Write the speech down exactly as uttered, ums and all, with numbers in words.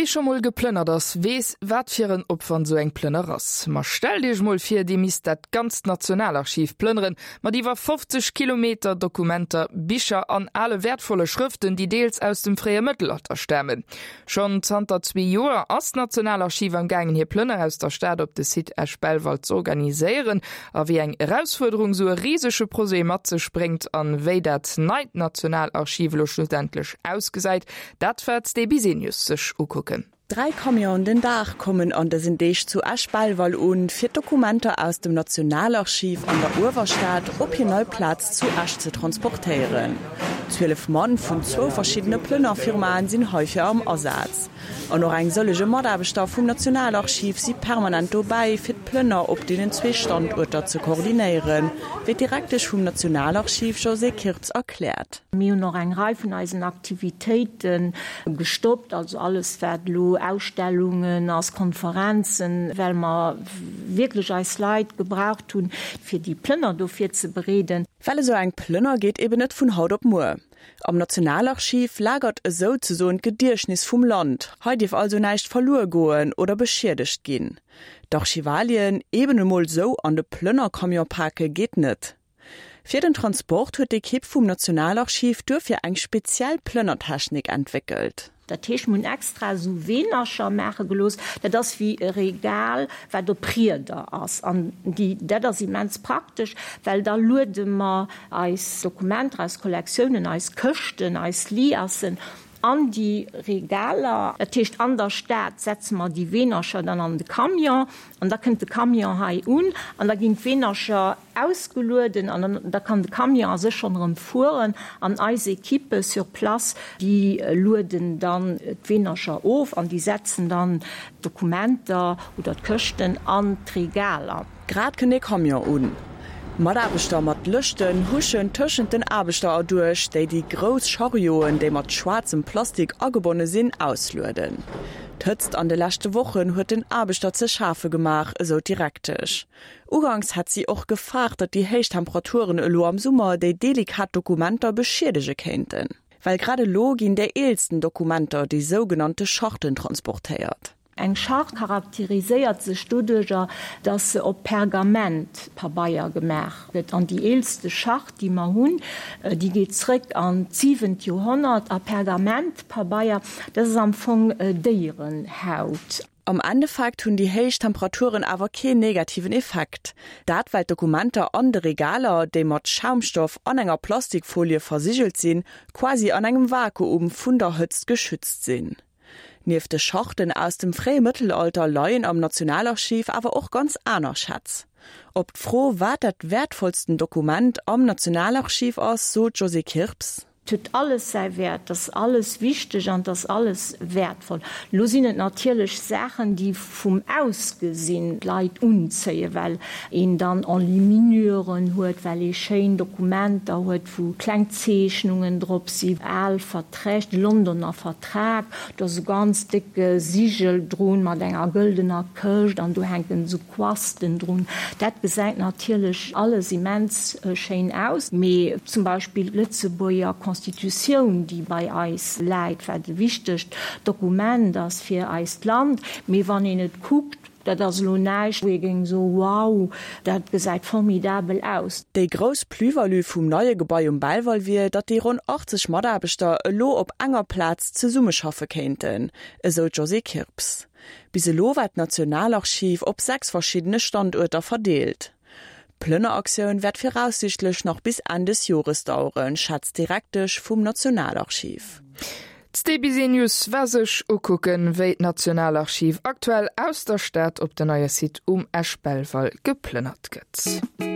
Wie scho mol geplënnert ass, weess, wat fir en Opwand sou eng Plënner ass. Ma stellt iech mol vir, dir misst dat ganzt Nationalarchiv plënneren, mat iwwer fofzeg Kilometer Dokumenter, Bicher an ale wäertvolle Schrëften, déi deels aus dem fréie Mëttelalter stamen. Schonn zanter zwee Joer ass d'Nationalarchiv am gaangen, hir Plënner aus der Stad op de Site Esch-Belval z'organiséieren. A wéi eng Erausfuerderung sou e risege Projet mat sech bréngt an wéi dat neit Nationalarchiv elo schlussendlech ausgesäit, dat war d'Sté Bisenius sech ukucken. Dräi Camionen den Dag kommen an dësen Deeg zu Esch-Belval un, fir d'Dokumenter aus dem Nationalarchiv an der Uewerstad op hir nei Plaz zu Esch ze transportéieren. Zwielef Mann vun zwou verschiddene Plënnerfirmaen sinn heifir am Asaz. An och eng sëllege Mataarbechter vum Nationalarchiv si permanent dobäi, fir d'Plënner op deenen zwee Standuerter ze koordinéieren, wéi d'Direktesch vum Nationalarchiv Josée Kirps erkläert. Mir hunn och eng Rei vun eisen Aktivitéite gestoppt, also alles wat elo Ausstellungen ass, Konferenzen, well mer wierklech eis Leit gebraucht hunn, fir déi Plënner do virzebereeden. Well esou eng Plënner geet eben net vun haut op muer. Am Nationalarchiv lagert esouzesoen d'Gediechtnes vum Land. Hei dierf also näischt verluer goen oder beschiedegt ginn. D'Archivalien eben emol sou an de Plënnercamion pake geet net. Fir den Transport huet d'Ekipp vum Nationalarchiv duerfir eng speziell Plënnertechnik entwéckelt. Dat heescht, mir hunn extra esou Weenercher maache gelooss, dat ass wéi e Regal, wat op Rieder ass. An déi, dat ass immens praktesch, well da luede mer eis Dokumenter, eis Kollektiounen, eis Këschten, eis Liassen an déi Regaler. Dat heescht, an der Stad setze mer déi Weenercher dann an de Camion an da kënnt de Camion hei un an da ginn d'Weenercher ausgelueden an da kann de Camion a sech schonn erëm fueren an eis Equippe sur place, déi lueden dann d'Weenercher of an déi setzen dann d'Dokumenter oder d'Këschten an d'Regaler. Grad kënnt ee Camion un. Mataarbechter mat Lëschten huschen tëschent den Aarbechter erduerch, déi déi grouss Charioten, déi mat schwaarzem Plastik agebonne sinn, auslueden. D'Hëtzt an de leschte Wochen huet den Aarbechter ze schafe gemaach, esou d'Direktesch. Uganks hat si och gefaart, datt déi héich Temperaturen elo am Summer déi delikat Dokumenter beschiedege kéinten. Well grad elo ginn déi eelsten Dokumenter, déi sougenannte Charten, transportéiert. Eng Charte charakteriséiert sech doduerjer, dass se op Pergamentpabeier gemaach gëtt. An déi eelste Charte, déi mer hunn, déi geet zrëck an d'siwent Joerhonnert a Pergamentpabeier, dat ass am Fong Déierenhaut. Am Endeffekt hunn déi héich Temperaturen awer keen negativen Effekt. Dat well d'Dokumenter an de Regaler, déi mat Schaumstoff an enger Plastikfolie versigelt sinn, quasi an engem Vakuum vun der Hëtzt geschützt sinn. Nieft de Charten aus dem fréie Mëttelalter leien am Nationalarchiv awer och ganz aner Schätz. Op d'Fro, wat dat wäertvollsten Dokument am Nationalarchiv ass, sot d'Josée Kirps. Et huet alles säi Wäert, et ass alles wichteg an et ass alles wäertvoll. Elo sinn et natierlech Saachen, déi vum Ausgesinn d'Leit unzéien, well een dann Enluminuren huet, well ee schéin Dokumenter huet, wou kleng Zeechnungen drop sinn, al Verträg, de Londoner Vertrag, do ass e ganz décke Sigel drun mat enger gëldener Këscht an do hänken esou Quasten drun. Dat gesäit natierlech alles immens schéin aus, mee zum Beispill d'Lëtzebuerger Constitutioun, déi bei eis läit, wat e wichtegt Dokument ass fir eist Land, mee wann een et kuckt, dat ass elo näischt, wou ee géing soen, Wow, dat gesäit formidabel aus. Déi grouss Plus-value vum neie Gebai um Belval wier, datt déi ronn achtzeg Mataarbechter elo op enger Plaz zesummeschaffe kéinten, esou d'Josée Kirps. Bis elo war d'Nationalarchiv op sechs verschiddene Standuerter verdeelt. D'Plënneraktioun wäert viraussiichtlech nach bis Enn des Jores daueren, schätzt d'Direktesch vum Nationalarchiv. D'Sté Bisenius war sech ukucken, wéi d'Nationalarchiv aktuell aus der Stad op den neie Site um Esch-Belval geplënnert gëtt.